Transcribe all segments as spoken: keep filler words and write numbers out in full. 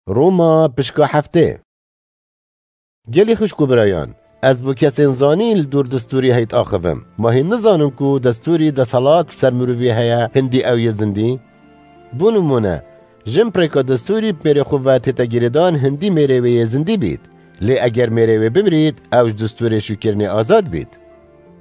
Roma pişka heftê. Gelî xişk û birayan, ez bo kesên zanîn li dûr destûrî heyt axivim. Ma hîn nizanin ku destûrî deselat li ser mirovî heye, hindî ew yê zindî? Bo nimûne, jin pirêka destûrî bi mêrê xwe ve tête girêdan hindî mêrê wê yê zindî bît. Lê eger mêrê wê bimirît, ew ji destûrê şûkirinê azad bît.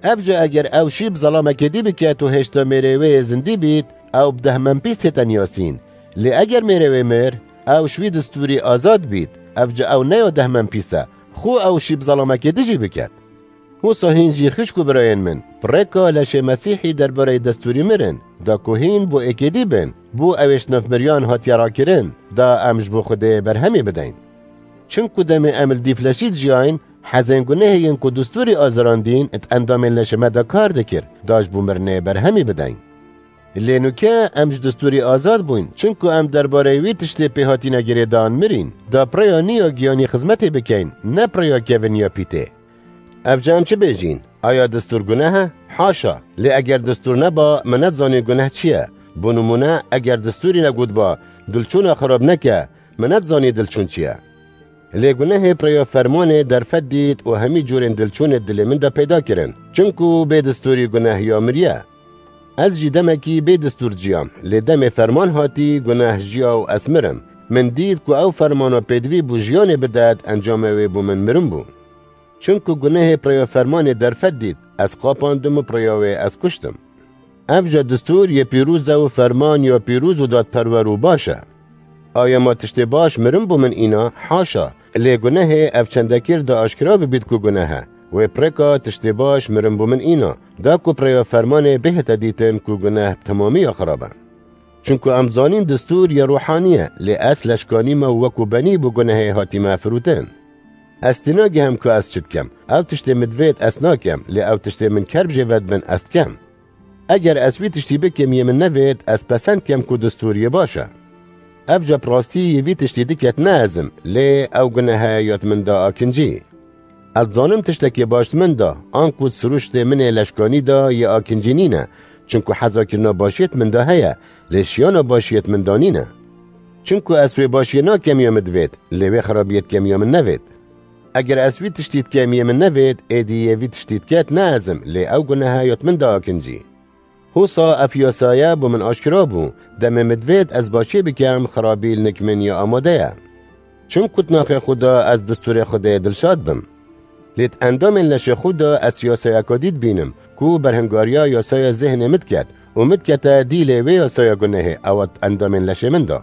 Ev jî eger ew şî bi zelamekê dî biket û hêşta mêrê wê yê zindî bît, ew bi dehmenpîs tête niyasîn. Lê eger mêrê wê mir, ew ji wî destûrî azad bît, ev jî ew ne ya dehmenpîs e, xwe ew şî bi zelamekê dî jî biket. Wisa hîn jî xişk û birayên min, pirêka leşê Mesîhî derbareyê destûrî mirin, da ku hîn bo êkê dî bin, bo ew ê ji nav miriyan hatiye rakirin, da em ji bo Xwedê berhemê bideyn. Çimku demê em li dîf leşî dijiyayîn, hezên gunehê yên ku destûrî azirandîn di endamên leşê me de kar dikir, da ji bo mirinê berhemî bideyn. Lê nûke em ji destûrî azad bûyn, çimku em derbareyê wî tiştê pê hatîne girêdan mirîn, da bi rêya nî ya giyanî xizmetê bikeyn, ne bi rêya kevin ya pîtê. Ev jî em çi bêjîn? Aya destûr guneh e? Haşa! Lê eger destûr neba, me nedizanî guneh çi ye. Bo nimûne, eger destûrî negotba, dilçûna xirab neke, me nedizanî dilçûn çi ye. Lê gunehê bi rêya fermanê derfet dît û hemî cûrên dilçûnê dilê min de peyda kirin. Çimku bê destûrî guneh ya miriye. Ez jî demekî bê destûr jiyam, lê demê ferman hatî, guneh jiya û ez mirim. Min dît ku ew fermana pêdivî bû jiyanê bidet, encamê wê bo min mirin bû. Çimku gunehê bi rêya fermanê derfet dît, ez qapandim û bi rêya wê ez kuştim. Ev jî destûr yê pîroz e û ferman ya pîroz û dadperwer û baş e. Aya ma tiştê baş mirin bo min îna? Haşa! Lê gunehê ev çendekir da aşkera bibît ku guneh e, wê pirêka tiştê baş mirin bo min îna, da ku bi rêya fermanê bihête dîtin ku guneh bi temamî ya xirab e. Çimku em zanîn destûr ya ruhanî ye, lê ez leşkanî me û wekû benî bo gunehê hatîme firotin. Ez tênagihim ku ez çi dikim. Ew tiştê min divêt ez nakim, lê ew tiştê min kerb jê vedibin ez dikim. Eger ez wî tiştî bikim yê min nevêt, ez pesend kim ku destûr yê baş e. Ev jî bi rastî yê vî tiştî diket ne ez im, lê ew guneh e ya di min de akincî. Ez dizanim tiştekê baş di min de, anku di sirûştê min ê leşkanî de yê akincî nîne, çimku hezakirina başiyê di min de heye, lê şiyana başiyê di min de nîne. Çimku ez wê başiyê nakem ya min divêt, lê wê xirabiyê dikem ya min nevêt. Eger ez wî tiştî dikem yê min nevêt, êdî yê vî tiştî diket ne ez im, lê ew guneh e ya di min de akincî. Hosa ev yasaye bo min aşkera bû, demê min divêt ez başiyê bikem, xirabî li nik min ya amade ye. Çimku di naxê xwe de ez destûrê Xwedê dilşad bim. Lê di endamên leşê xwe de ez yasayeka dî dibînim, ku berhingariya yasaya zêhnê min diket û min dikete dîlê wê yasaya gunehê, ew e di endamên leşê min de.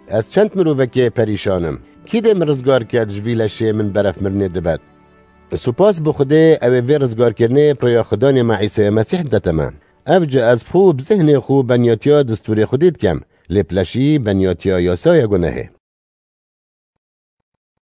Ez çend mirovekê perîşan im. Kî dê min rizgar ket ji vî leşê min beref mirinê dibet? Supas bo Xwedê, ew ê vê rizgarkirinê bi rêya Xudanê me Îsaya Mesîh didete me. Ev jî ez bi xwe û bi zihnê xwe benyatiya destûrê Xwedê dikem, lê bi leşî benyatiya yasaya gunehê.